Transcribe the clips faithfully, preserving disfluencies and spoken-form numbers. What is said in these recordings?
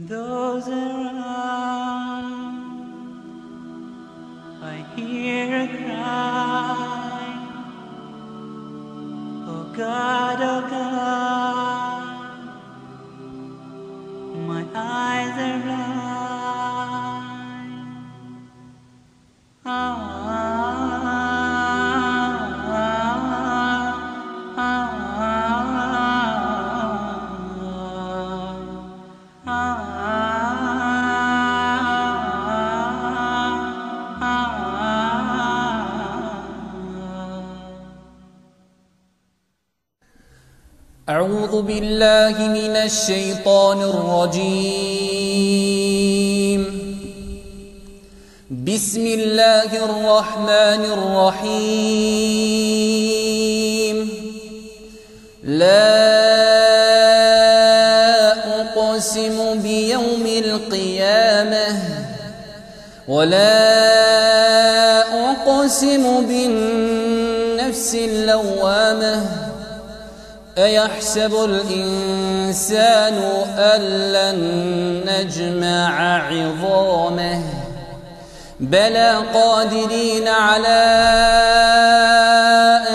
those around. I hear a cry, oh God, oh God, my eyes are blind. Ah. أعوذ بالله من الشيطان الرجيم. بسم الله الرحمن الرحيم. لا أقسم بيوم القيامة ولا أقسم بالنفس اللوامة أيحسب الإنسان أن لن نجمع عظامه بلى قادرين على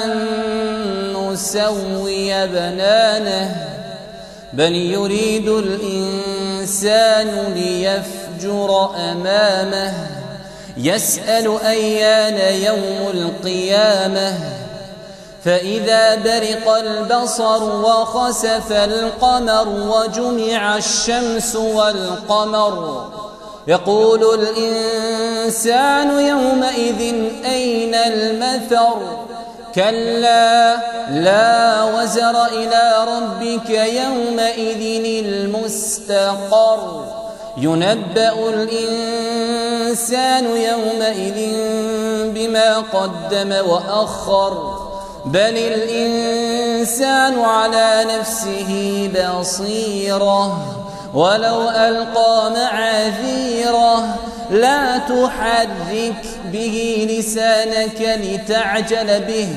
أن نسوي بنانه بل يريد الإنسان ليفجر أمامه يسأل أيان يوم القيامة فإذا برق البصر وخسف القمر وجمع الشمس والقمر يقول الإنسان يومئذ أين المفر كلا لا وزر إلى ربك يومئذ المستقر ينبأ الإنسان يومئذ بما قدم وأخر بل الإنسان على نفسه بصيرة ولو ألقى معاذيره لا تحرك به لسانك لتعجل به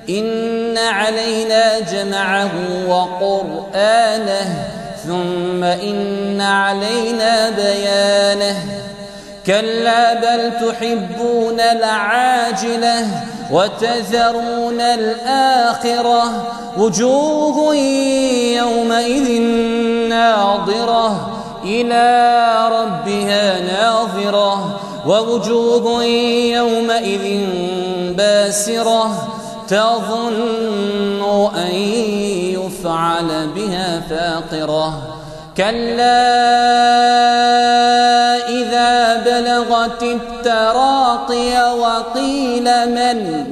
إن علينا جمعه وقرآنه ثم إن علينا بيانه كلا بل تحبون العاجلة وتذرون الآخرة وجوه يومئذ ناظرة إلى ربها ناظرة ووجوه يومئذ باسرة تظن أن يفعل بها فاقرة كلا إذا بلغت التراقي وقيل من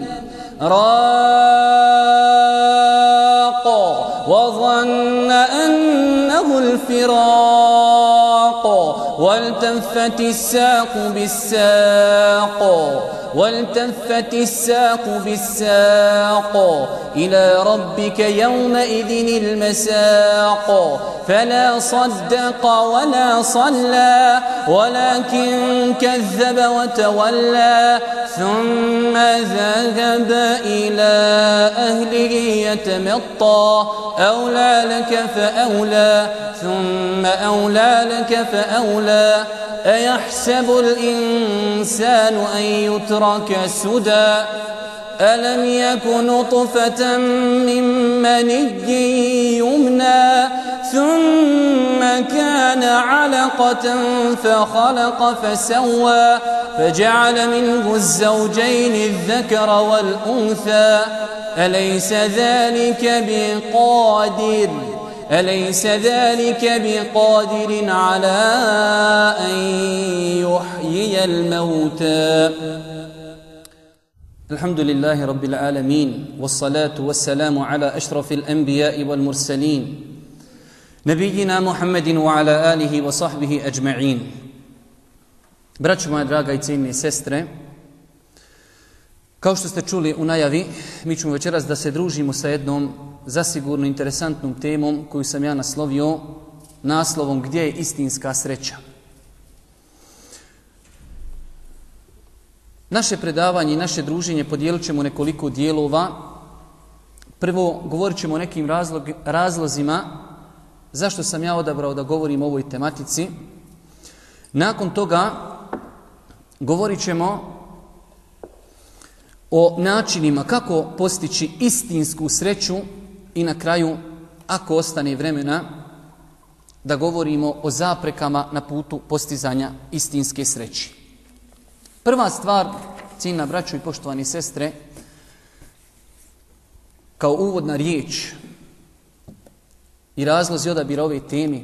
راق وظن أنه الفراق والتفت الساق بالساق والتفت الساق بالساق إلى ربك يومئذ المساق فلا صدق ولا صلى ولكن كذب وتولى ثم ذهب إلى أهله يتمطى أولى لك فأولى ثم أولى لك فأولى أيحسب الإنسان أن يترك سدى ألم يك نطفة من مني يمنى ثم كان علقة فخلق فسوى فجعل منه الزوجين الذكر والأنثى أليس ذلك بقادر أليس ذلك بقادر على أن يحيي الموتى الحمد لله رب العالمين والصلاة والسلام على أشرف الأنبياء والمرسلين نبينا محمد وعلى آله وصحبه أجمعين. Braćo moja draga i cijenjene sestre, kao što ste čuli u najavi, mi ćemo večeras da se družimo sa jednom zasigurno interesantnom temom koju sam ja naslovio naslovom Gdje je istinska sreća. Naše predavanje i naše druženje podijelit ćemo nekoliko dijelova. Prvo, govorit ćemo o nekim razlog, razlozima zašto sam ja odabrao da govorim o ovoj tematici. Nakon toga govorit ćemo o načinima kako postići istinsku sreću i na kraju, ako ostane vremena, da govorimo o zaprekama na putu postizanja istinske sreće. Prva stvar, cijenjena braćo i poštovani sestre, kao uvodna riječ i razlozi odabira ove teme.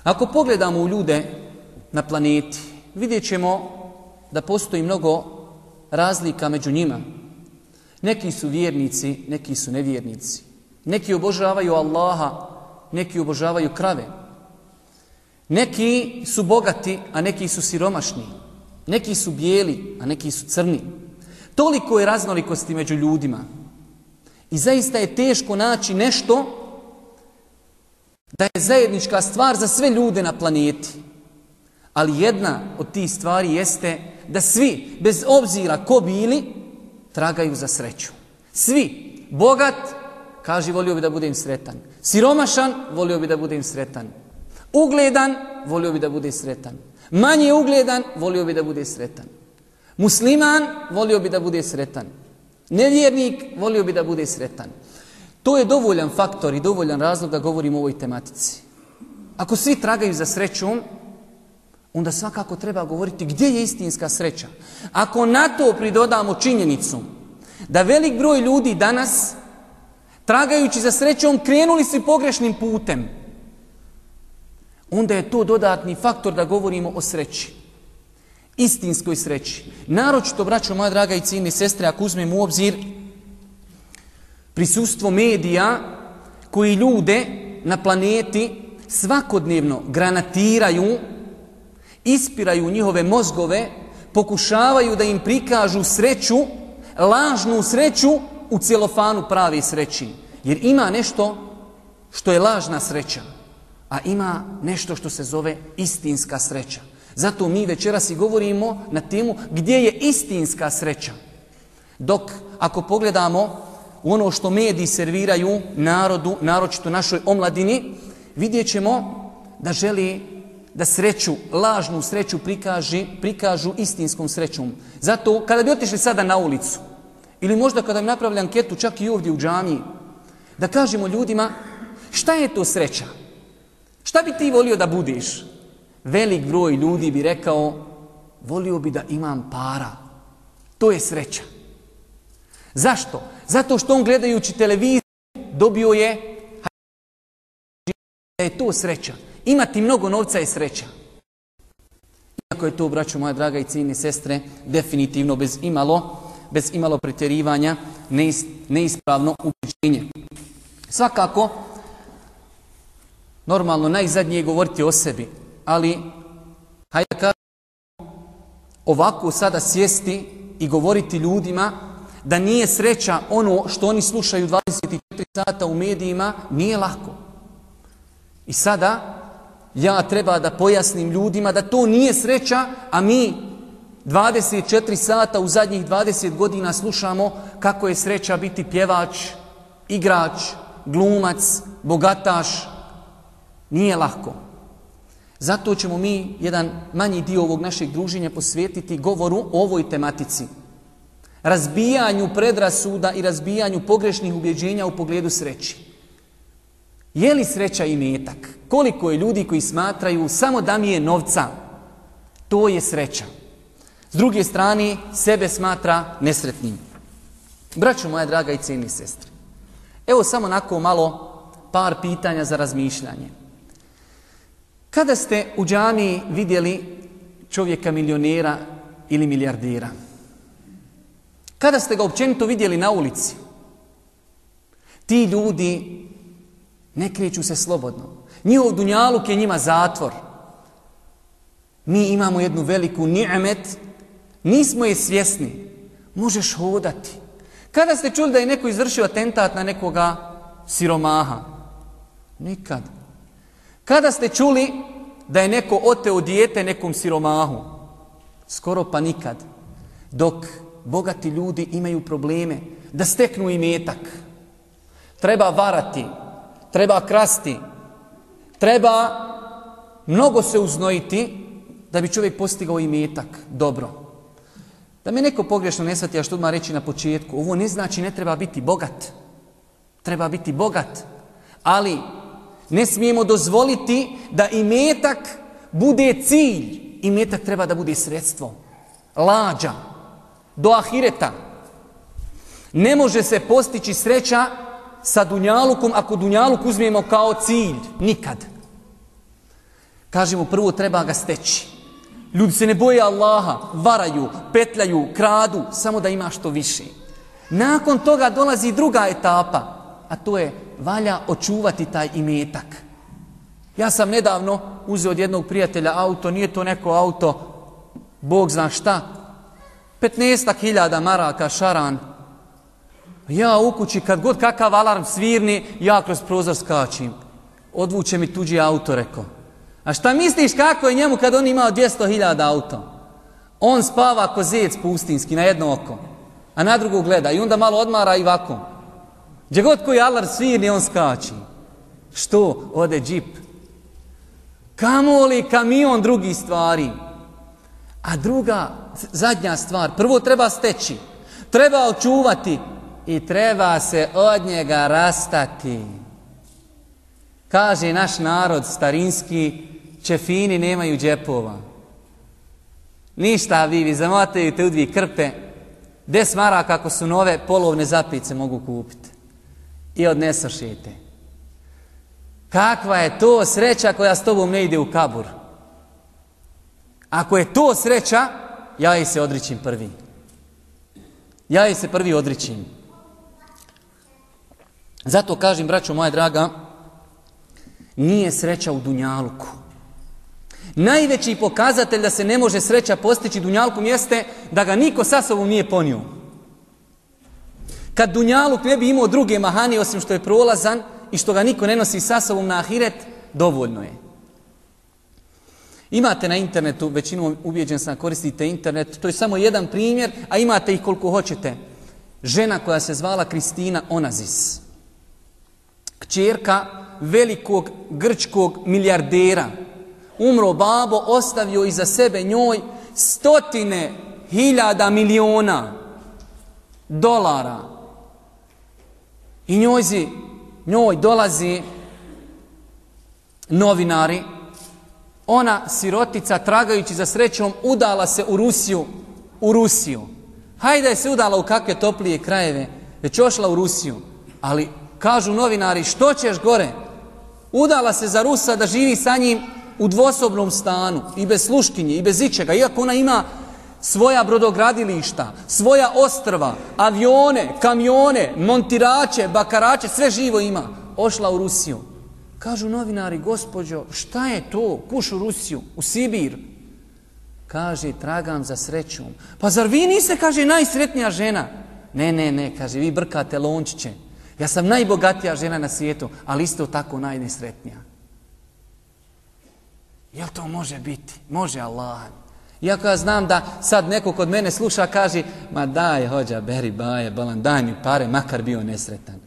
Ako pogledamo u ljude na planeti, vidjet ćemo da postoji mnogo razlika među njima. Neki su vjernici, neki su nevjernici. Neki obožavaju Allaha, neki obožavaju krave. Neki su bogati, a neki su siromašni. Neki su bijeli, a neki su crni. Toliko je raznolikosti među ljudima. I zaista je teško naći nešto da je zajednička stvar za sve ljude na planeti. Ali jedna od tih stvari jeste da svi, bez obzira ko bili, tragaju za sreću. Svi. Bogat, kaže volio bi da budem sretan. Siromašan, volio bi da budem sretan. Ugledan, volio bi da bude sretan. Manje ugledan, volio bi da bude sretan. Musliman, volio bi da bude sretan. Nevjernik, volio bi da bude sretan. To je dovoljan faktor i dovoljan razlog da govorimo o ovoj tematici. Ako svi tragaju za srećom, onda svakako treba govoriti gdje je istinska sreća. Ako na to pridodamo činjenicu da velik broj ljudi danas, tragajući za srećom, krenuli su pogrešnim putem, onda je to dodatni faktor da govorimo o sreći. Istinskoj sreći. Naročito, braćo moja draga i cijenjene sestre, ako uzmemo u obzir prisustvo medija koji ljude na planeti svakodnevno granatiraju, ispiraju njihove mozgove, pokušavaju da im prikažu sreću, lažnu sreću u celofanu prave sreći. Jer ima nešto što je lažna sreća, a ima nešto što se zove istinska sreća. Zato mi večeras i govorimo na temu gdje je istinska sreća. Dok ako pogledamo u ono što mediji serviraju narodu, naročito našoj omladini, vidjet ćemo da želi da sreću, lažnu sreću prikaži, prikažu istinskom srećom. Zato kada bi otišli sada na ulicu, ili možda kada bi napravili anketu čak i ovdje u džamiji, da kažemo ljudima šta je to sreća? Šta bi ti volio da budiš? Velik broj ljudi bi rekao, volio bi da imam para. To je sreća. Zašto? Zato što on gledajući televiziju dobio je da je to sreća. Imati mnogo novca je sreća. Iako je to, braćo moja draga i cijenjene sestre, definitivno bez imalo, bez imalo pretjerivanja, neis, neispravno ubeđenje. Svakako, normalno najzadnije je govoriti o sebi, ali hajde da kažemo ovako sada sjesti i govoriti ljudima da nije sreća ono što oni slušaju dvadeset četiri sata u medijima, nije lako. I sada ja treba da pojasnim ljudima da to nije sreća, a mi dvadeset četiri sata u zadnjih dvadeset godina slušamo kako je sreća biti pjevač, igrač, glumac, bogataš. Nije lako. Zato ćemo mi jedan manji dio ovog našeg druženja posvetiti govoru o ovoj tematici. Razbijanju predrasuda i razbijanju pogrešnih ubjeđenja u pogledu sreći. Je li sreća imetak? Koliko je ljudi koji smatraju samo da mi je novca, to je sreća. S druge strane, sebe smatra nesretnim. Braćo moja draga i cijenjene sestre, evo samo onako malo par pitanja za razmišljanje. Kada ste u džamiji vidjeli čovjeka milionera ili milijardera? Kada ste ga općenito vidjeli na ulici? Ti ljudi ne kreću se slobodno. Njihov dunjaluk je njima zatvor. Mi imamo jednu veliku ni'met, nismo je svjesni. Možeš hodati. Kada ste čuli da je neko izvršio atentat na nekoga siromaha? Nikad. Kada ste čuli da je neko oteo dijete nekom siromahu? Skoro pa nikad. Dok bogati ljudi imaju probleme da steknu imetak. Treba varati, treba krasti, Treba mnogo se uznojiti da bi čovjek postigao imetak. Dobro. Da me neko pogrešno ne shvati, a što odmah reći na početku, ovo ne znači ne treba biti bogat. Treba biti bogat. Ali ne smijemo dozvoliti da imetak bude cilj. Imetak treba da bude sredstvo. Lađa. Do ahireta. Ne može se postići sreća sa dunjalukom ako dunjaluk uzmemo kao cilj. Nikad. Kažemo prvo treba ga steći. Ljudi se ne boje Allaha, varaju, petljaju, kradu, samo da ima što više. Nakon toga dolazi druga etapa, a to je valja očuvati taj imetak. Ja sam nedavno uzeo od jednog prijatelja auto, nije to neko auto, Bog zna šta, petnaestak hiljada maraka šaran. Ja u kući kad god kakav alarm svirni, ja kroz prozor skačim. Odvuče mi tuđi auto, rekao. A šta misliš kako je njemu kad on imao dvjesto hiljada auto? On spava ko zec pustinski na jedno oko, a na drugo gleda i onda malo odmara i ovako. Gdje god koji alarm svirni, on skači. Što? Ode džip. Kamoli kamion drugih stvari. A druga, zadnja stvar, prvo treba steći, treba očuvati i treba se od njega rastati. Kaže naš narod starinski, čefini nemaju džepova. Ništa vi, vi zamotaju te u dvije krpe, des maraka ako su nove, polovne zapice mogu kupiti. I odnesošite. Kakva je to sreća koja s tobom ne ide u kabur? Ako je to sreća, ja je se odričim prvi. Ja je se prvi odričim. Zato kažem, braćo moja draga, nije sreća u dunjaluku. Najveći pokazatelj da se ne može sreća postići dunjalukom jeste da ga niko sa sobom nije ponio. Kad dunjaluk ne bi imao druge mahani osim što je prolazan i što ga niko ne nosi sa sobom na ahiret, dovoljno je. Imate na internetu, većinom ubijeđen sam koristite internet, to je samo jedan primjer, a imate ih koliko hoćete. Žena koja se zvala Kristina Onazis. Kćerka velikog grčkog milijardera. Umro babo, ostavio iza sebe njoj stotine hiljada miliona dolara. I njojzi, njoj dolazi novinari. Ona, sirotica, tragajući za srećom, udala se u Rusiju. U Rusiju. Hajde je se udala u kakve toplije krajeve, već ošla u Rusiju. Ali kažu novinari, što ćeš gore? Udala se za Rusa da živi sa njim u dvosobnom stanu, i bez sluškinje, i bez ičega, iako ona ima svoja brodogradilišta, svoja ostrva, avione, kamione, montirače, bakarače, sve živo ima. Ošla u Rusiju. Kažu novinari, gospođo, šta je to? Kuš u Rusiju, u Sibir. Kaže, tragam za srećom. Pa zar vi niste, kaže, najsretnija žena? Ne, ne, ne, kaže, vi brkate lončiće. Ja sam najbogatija žena na svijetu, ali isto tako najnesretnija. Jel to može biti? Može Allah. Iako ja znam da sad neko kod mene sluša, kaže, ma daj, hođa, beri, baje, balan, daj mi pare, makar bio nesretan.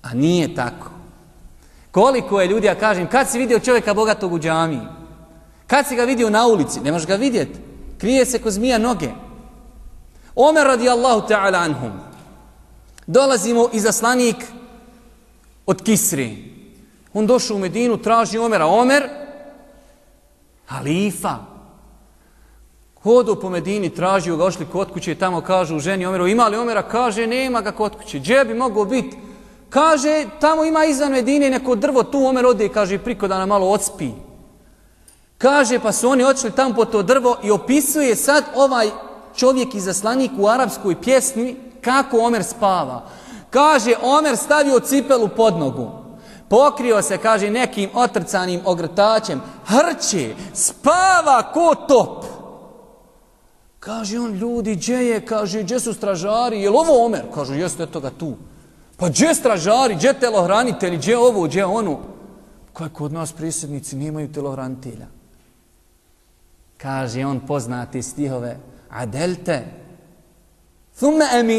A nije tako. Koliko je ljudi, ja kažem, kad si vidio čovjeka bogatog u džamiji? Kad si ga vidio na ulici? Ne možeš ga vidjeti. Krije se ko zmija noge. Omer radijallahu ta'ala anhum. Dolazimo izaslanik od Kisri. On došao u Medinu, traži Omera. Omer, halifa. Hodu po Medini, tražio ga, ošli kod kuće, tamo kažu ženi Omeru, ima li Omera? Kaže, nema ga kod kuće. Gdje bi mogao biti? Kaže, tamo ima izvan Medine neko drvo, tu Omer ode i kaže, priko da nam malo odspi. Kaže, pa su oni odšli tamo po to drvo i opisuje sad ovaj čovjek izaslanik u arapskoj pjesmi kako Omer spava. Kaže, Omer stavio cipelu pod nogu. Pokrio se, kaže, nekim otrcanim ogrtačem. Hrče, spava ko top. Kaže on, ljudi, gdje je? Kaže, gdje su stražari? Je li ovo Omer? Kaže, jeste, eto ga tu. Pa gdje stražari, gdje telohranitelji, gdje ovo, gdje ono? Kaj kod nas prisjednici nemaju telohranitelja? Kaže on poznati stihove. Adelte. Thumme emin.